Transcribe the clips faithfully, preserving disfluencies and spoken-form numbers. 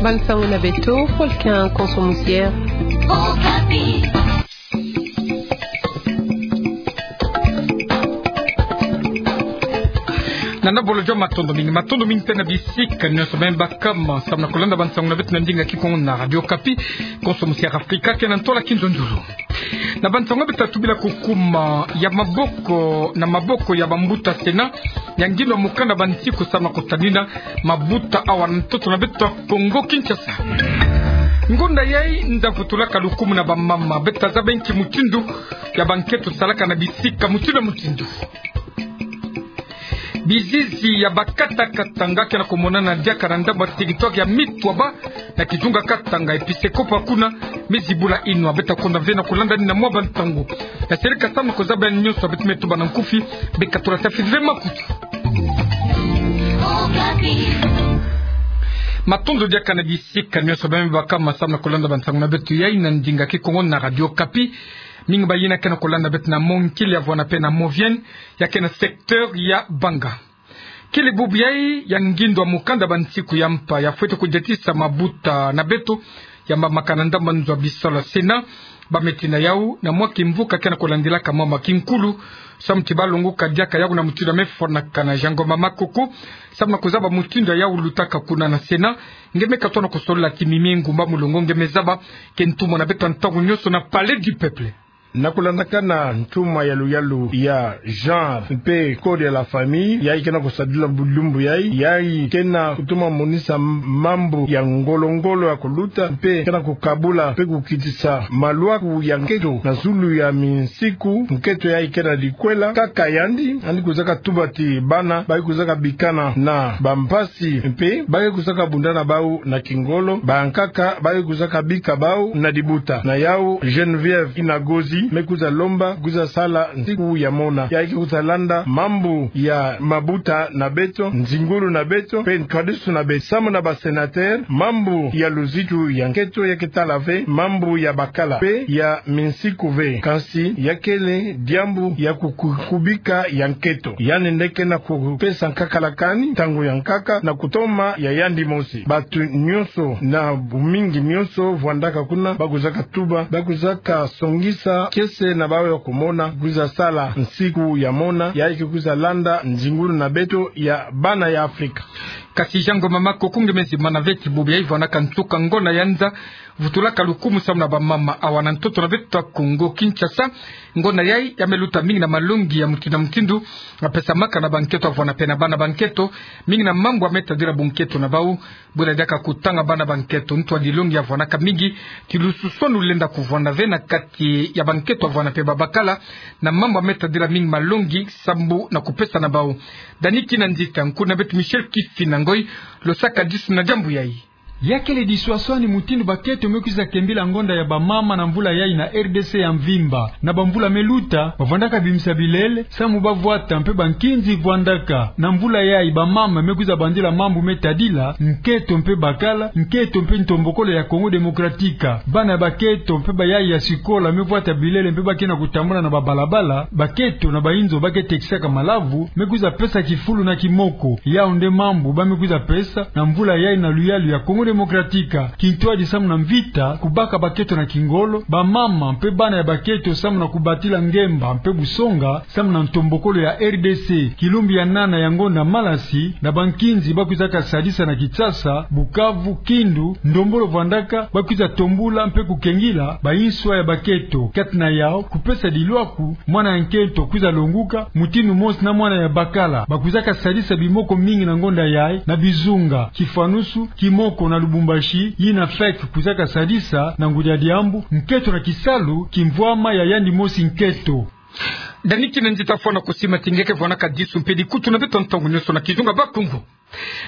Bansango na beto, Volcan Konso Musière. Nana bolo jo matondo mingi, matondo mingi mpe na bisika nyonso beno baka ma samu na kulanda bansango na beto na ndinga Kikongo na Radio Okapi. Konso Musière Afrika ke na ntola kinzonzolo. Na bansango beto tubila kukuma ya maboko na maboko ya bambuta Sénat ya ngindo ya mokanda bansiku samu na kutadina mabuta awa na ntoto na beto ya Kongo Kinshasa. Ngonda yai nda vutulaka lukumu na bamama, beto tazaba nki mutindu ya banketo salaka na bisika mutindu na mutindu. Bizizi ya bakatakata nga ke na kumonana diaka na ndambu ya territoire ya Mitwaba na kizunga Katanga, episkopo ya kuna me zibula inwa. Beto takonda ve na kulanda ni na mwa bantangu. Na sirika samu na kuzaba nyonso beto me tuba na nkufi, beka tula tafi ve makutu. Matondo diaka na bisika nyonso beno baka ma samu na kulanda bansango na beto yai na ndinga Kikongo na Radio Okapi. Mingi bayina ke na kulanda beto na Mont Kill ya vwanda mpe na Mont Vienne, ya ke na secteur ya Banga. Kele bubu yai ya ngindo ya mokanda bansiku ya mpa ya fwete kudiatisa mabuta na beto ya mbambakana ndambu ya nzo ya bisalu ya Sénat. Ba me tina yau na mwa kimvuka ke na kulandilaka mama kinkulu, samu ti balongoka diaka yau na mutindu ya me fwanakana. Jean Ngoma Makoko, samu na kuzaba mutindu ya yau lutaka kuna na Sénat, nge me katono kusolola ti mimi ngumba mulongo nge me zaba ke ntumwa na beto ya ntangu nyonso na Palais du Peuple. Na kulandakana ntumwa ya luyalu ya genre mpe code ya la famille, yai ke na kusadila bu lumbu yai, yai ke na kutuma monisa mambu ya ngolo-ngolo ya kuluta, mpe ke na kukabula mpe kukitisa malwaku ya nketo na zulu ya minsiku nketo yai ke na dikwela. Kaka yandi, yandi kuzaka tuba ti bana bayi kuzaka bikana na bampasi, mpe bayi kuzaka bunda na bau na kingolo, bankaka bayi kuzaka bika bau na dibuta. Na yau Geneviève Inagozi me kwiza lomba kwiza sala nsiku ya mona, yai ke kwiza landa mambu ya mabuta na beto, nzingulu na beto, mpe nkadisu na beto. Samu na ba sénateur, mambu ya luzitu ya nketo ya ke tala ve mambu ya bakala mpe ya minsiku ve. Kansi ya kele diambu ya ku-, ku-, kubika ya nketo. Yandi nde ke na kupesa nkaka la kani, ntangu ya nkaka, na kutoma ya yandi mosi. Batu nyonso na bumingi nyonso vwandaka kuna, ba kuzaka tuba, ba kuzaka songisa kiese na bau ya kumona kwiza sala nsiku ya mona, yai ke kwiza landa nzingulu na beto ya bana ya Afrika. Kasi Jean Ngoma Makoko, nge me zimbana ve ti bubu yai vwanaka nsuka ngonda ya nza vutulaka lukumu samu na bamama awa na ntoto na beto ya Kongo Kinshasa. Ngonda yai ya me luta mingi na malongi ya mutindu na mutindu, ya pesamaka na banketo ya vwanda mpe na bana banketo, mingi na mambu ya me tadila bunketo na bau. Bula diaka kutanga bana banketo, ntu ya dilongi ya vwanaka mingi ti lususonu lenda kuvwanda ve na kati ya banketo ya vwanda mpe babakala, na mambu ya me tadila mingi malongi sambu na kupesa na bau. Dani Kinanzita, nkuna beto Michel Kifina Ngoy, lo saka disu na diambu yai. Ya kele diswaswani mutindu baketo me kwiza kembila ngonda ya bamama na mvula yai na R D C ya mvimba. Na bamvula me luta, bavwandaka bimisa bilele, samu ba vwata mpe bankinzi vwandaka. Na mvula yai bamama me kwiza bandila mambu me tadila nketo mpe bakala, nketo mpe ntombokolo ya Congo Democratique. Bana baketo mpe bayaya ya sikola me vwata bilele mpe ba ke na kutambula na babalabala, baketo na bayinzo ba ke tekisaka malavu me kwiza pesa kifulu na kimoko. Yau nde mambu ba me kwiza pesa na mvula yai na luyalu ya Congo Democratique. Kintwadi samu na mvita, kubaka baketo na kingolo, bamama mpe bana ya baketo samu na kubatila ngemba mpe busonga, samu na ntombokolo ya R D C. Kilumbu ya nana ya ngonda malasi, na bankinzi ba kwizaka sadisa na Kinshasa, Bukavu, Kindu, ndombolo vwandaka, ba kwiza tombula mpe kukengila bayinswa ya baketo. Kati na yau, kupesa dilwaku, mwana ya nkento kwiza longuka mutindu mosi na mwana ya bakala. Ba kwizaka sadisa bimoko mingi na ngonda yai, na Bizunga, Kifwanusu, Kimoko na Lubumbashi, yina fek kwizaka sadisa na ngudi ya diambu, nketo na kisalu, kimvwama ya yandi mosi nketo. Dani Kinanzita, fwana kusima ti nge ke vwanaka disu mpe dikutu na beto ntangu nyonso na kizunga Bakongo.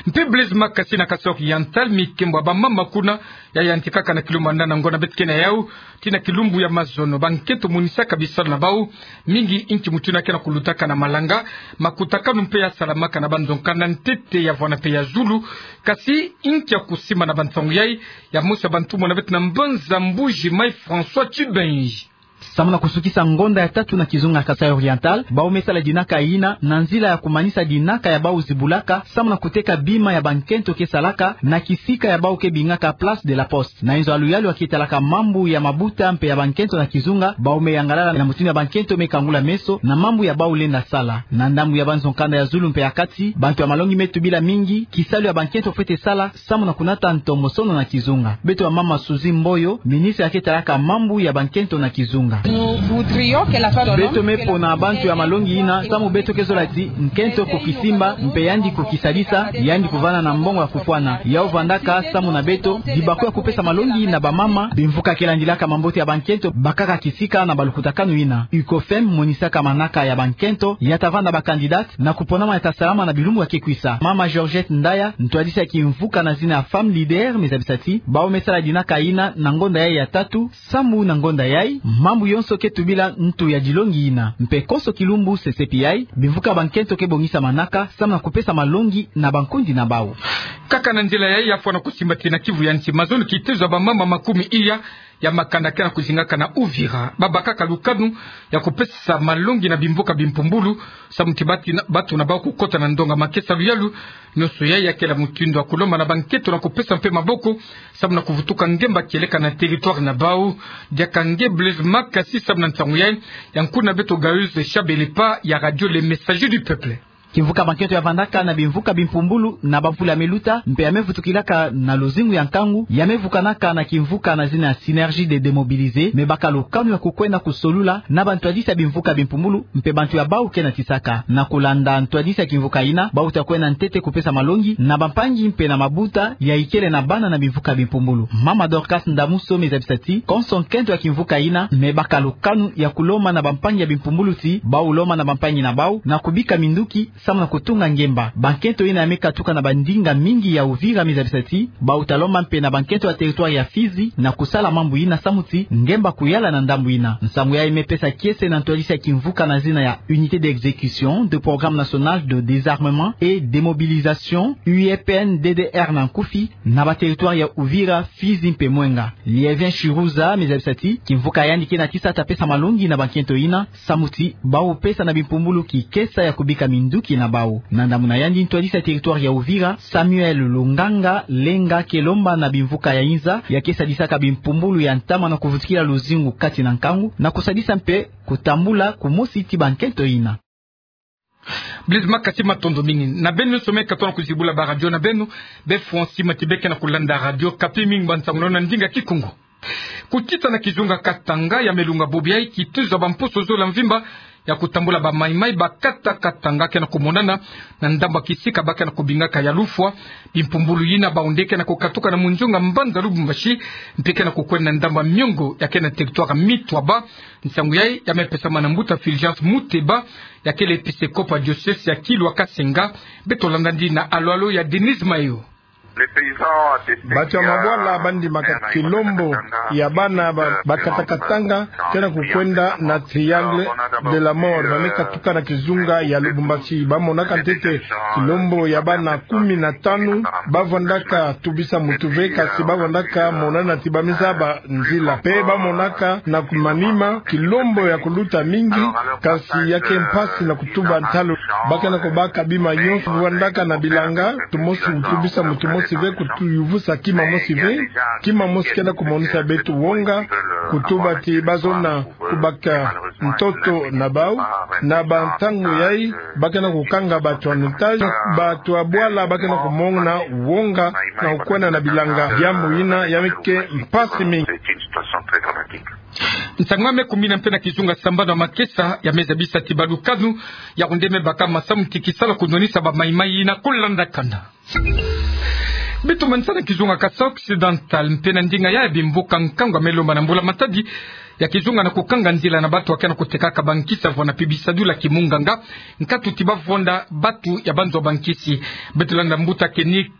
Mpe Blaise Makasi na Kasaï Oriental, mikembo ya bamama kuna ya yantikaka na kilumbu ya nana ngonda beto ke na yau, tii na kilumbu ya mazono. Banketo monisaka bisalu na bau, mingi inki mutindu ke na kulutaka na malanga, makutakanu mpe ya salamaka na banzo nkanda ntete ya vwanda mpe ya zulu. Kasi inki ya kusima na bansangu yai, ya mosi ya bantumwa na beto na mbanza Mbuji Mayi, François Tchibenji. Samu na kusukisa ngonda ya tatu na kizunga Kasaï Oriental, bau me sala dinaka yina na nzila ya kumanisa dinaka ya bau zibulaka samu na kuteka bima ya bankento ke salaka na kisika ya bau ke bingaka Place de la Poste. Na inzo ya luyalu ya ke talaka mambu ya mabuta mpe ya bankento na kizunga, bau me yangalala na mutindu ya bankento me kangula meso na mambu ya bau lenda sala. Na ndambu ya banzo kanda ya zulu mpe ya kati, bantu ya malongi me tubila mingi kisalu ya bankento fwete sala samu na kunata ntombosono na kizunga. Beto ya mama Suzy Mboyo, ministre ya ke talaka mambu ya bankento na kizunga. Beto me pona bantu ya malongi yina samu beto ke zola ti nkento kukisimba mpe yandi kukisadisa, yandi kuvana na mbongo ya kufwana. Yau vandaka samu na beto dibaku ya kupesa malongi na bamama. Bimvuka ke landilaka mambote ya bankento bakaka kisika na balukutakanu yina. UCOFEM monisaka manaka ya bankento ya ta vanda bacandidate na kuponama ya ta salama na bilumbu ya ke kwisa. Mama Georgette Ndaya, ntwadisi ya kimvuka na zina ya Femme Leader, me zabisa ti bau me sala dinaka yina na ngonda yai ya tatu, samu na ngonda yai mambu yonso ke tubila ntu ya dilongi yina. Mpe konso kilumbu sesepi yai, bimvuka bankento ke bongisa manaka samu na kupesa malongi na bankundi na bau. Kaka na nzila yai, ya fwana kusimba ti na Kivu ya nsi, mazono kitezo ya bamama makumi iya ya makanda ke na kuzingaka na Uvira, babakaka lukanu ya kupesa malongi na bimvuka bimpumbulu samu ti bati na, batu na bau kukota na ndonga makesa. Luyalu nyonso yai ya kele mutindu ya kulomba na bankento na kupesa mpe maboko samu na kuvutuka ngemba kieleka na territoire na bau. Diaka nge Blaise Makasi samu na nsangu yai, ya nkuna beto Gayus Shabelepa ya Radio Le Messager du Peuple. Kimvuka bankento ya vandaka na bimvuka bimpumbulu na bamvula me luta, mpe ya me vutukilaka na luzingu ya nkangu, ya me vukanaka na kimvuka na zina ya Synergie des Démobilisés, me baka lukanu ya kukwenda kusolula na bantwadisi ya bimvuka bimpumbulu mpe bantu ya bau ke natisaka. Na kulanda ntwadisi ya kimvuka yina, bau ta kwenda ntete kupesa malongi na bampangi mpe na mabuta ya ikele na bana na bimvuka bimpumbulu. Mama Dorcas Ndamuso me zabisa ti konso nkento ya kimvuka yina me baka lukanu ya kulomba na bampangi ya bimpumbulu ti bau lomba na bampangi na bau na kubika minduki samu na kutunga ngemba. Bankento yina ya me katuka na bandinga mingi ya Uvira me zabisa ti bau ta lomba mpe na bankento ya territoire ya Fizi na kusala mambu yina samu ti ngemba kuyala na ndambu yina. Nsangu yai me pesa kiese na ntwadisi ya kimvuka na zina ya Unité d'exécution de programme national de désarmement et démobilisation, U E P N D D R na nkufi, na ba territoire ya Uvira, Fizi mpe Mwenga. Liévin Chiruza me zabisa ti kimvuka yandi ke natisa ta pesa malongi na bankento yina samu ti bau pesa na bimpumbulu kikesa ya kubika minduki na bau. Na ndambu na yandi, ntwadisi ya territoire ya Uvira, Samuel Lunganga Lenga, ke lomba na bimvuka ya inza ya ke sadisaka bimpumbulu ya ntama na kuvutukila luzingu kati na nkangu na kusadisa mpe kutambula kumosi ti bankento yina. Blaise Makasi, matondo mingi na beno nyonso me katuka na kuzibula ba radio na beno. Be fwa nsi mati be ke na kulanda Radio Okapi. Mingi bansangu na ndinga Kikongo. Kutita na kizunga Katanga, ya me lunga bobo yai kitezo ya bamposo zola mvimba ya kutambula ba Maï-Maï ba kata Katanga ke na kumonana na ndambu ya kisika ba ke na kubingaka ya Lufwa. Bimpumbulu yina, bawu nde ke na kukatuka na munzunga mbanza Lubumbashi, mpe ke na kukwenda na ndambu ya miongo ya ke na territoire Mitwaba. Nsangu yai ya me pesama na mbuta Fulgence Muteba, ya kele episkopo ya diocèse ya Kilwa Kasenga. Beto landa ndina alo-alo ya Denise Mayo. Batu ya mabwala ba ndimaka kilombo ya bana ba, ba kata Katanga ke na kukwenda na Triangle de la Mort, ba me katuka na kizunga ya Lubumbashi. Ba monaka ntete kilombo ya bana kumi na tanu ba vandaka tubisa mutu ve, kasi ba vandaka monana ti ba me zaba nzila. Mpe ba monaka na manima kilombo ya kuluta mingi, kasi ya ke mpasi na kutuba ntalu. Ba ke na kubaka bima nyonso, vandaka na bilanga, mutu mosi tubisa mutu mosi ve, kutuyuvusa kima mosi ve. Kima mosi ke na kumonisa beto wonga, kutuba ti ba zona kubaka ntoto na bawu. Na bantangu yai, ba ke na kukanga batu en otage, batu ya bwala ba ke na kumona wonga na kukwenda na bilanga. Diambu yina ya me ke mpasi mingi. Nsangu ya me kumina mpe na kizunga Sambano ya Makesa, ya me zabisa ti balukanu ya kunde me baka masamu ti kisalu ya kunwanisa ba Maï-Maï yina kulanda kanda. Beto manisa na kizunga Kasaï Occidental, mpe na ndinga ya bimbuka nkangu ya me lomba na mbula-matadi ya kizunga na kukanga nzila na batu ya ke na kutekaka bankisi ya vwanda mpe bisadulu ya kimunganga, nkatu ti ba vwanda batu ya banzo bankisi. Beto landa mbuta Kenny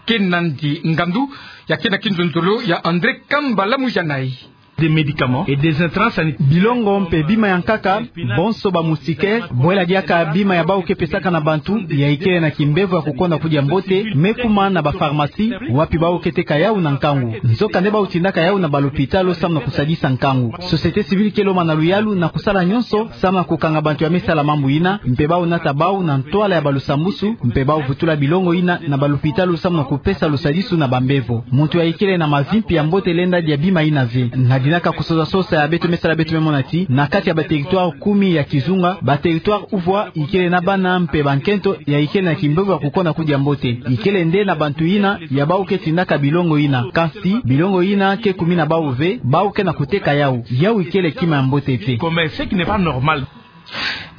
Kenandi Ngandu, ya ke na kinzonzolo ya André Kambala Mujanai. des médicaments et des intrants sanitaires. Bilongo mpe bima ya nkaka, bonso ba moustiquaires, bwela diaka bima ya bau ke pesaka na bantu, ya ikele na kimbevo ya kukonda kudia mbote, me kuma na ba pharmacie, wapi bau ke teka yau na nkangu. Nzokande bau tindaka yau na ba lopitalo samu na kusadisa nkangu. Société civile ke lomba na luyalu na kusala nyonso, samu na kukanga bantu ya me sala mambu yina, mpe bau nata bau na ntwala ya ba lusambusu, mpe bau vutula bilongo yina na ba lopitalo samu na kupesa lusadisu na bambevo. Muntu ya ikele na mavi mpe ya mbote lenda dia bima yina ve. Na dinaka kusosa sosa ya beto me sala beto me mona ti, na kati ya ba territoire kumi ya kizunga, ba territoire uvwa ikele na bana mpe bankento ya ikele na kimbevo ya kukonda kudia mbote. Ikele nde na bantu yina ya bau ke tindaka bilongo yina. Kasi, bilongo yina ke kumi na bau ve, bau ke na kuteka yau. Yau ikele kima ya mbote te. Comme ce qui n'est pas normal.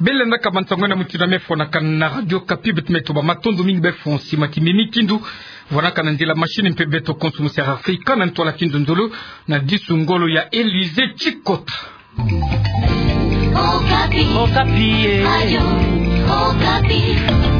Bele ndaka bansango na mutindu ya me fwanakana na Radio Okapi, beto me toba matondo mingi be fwansi ma kimpeve mi kindo, vwanaka na nzila machine mpe beto konso mu sera Afrika na ntwala kindo nzolo, na disu ngolo ya Élysée Tchicot. Okapi. Okapi, eh. Radio Okapi.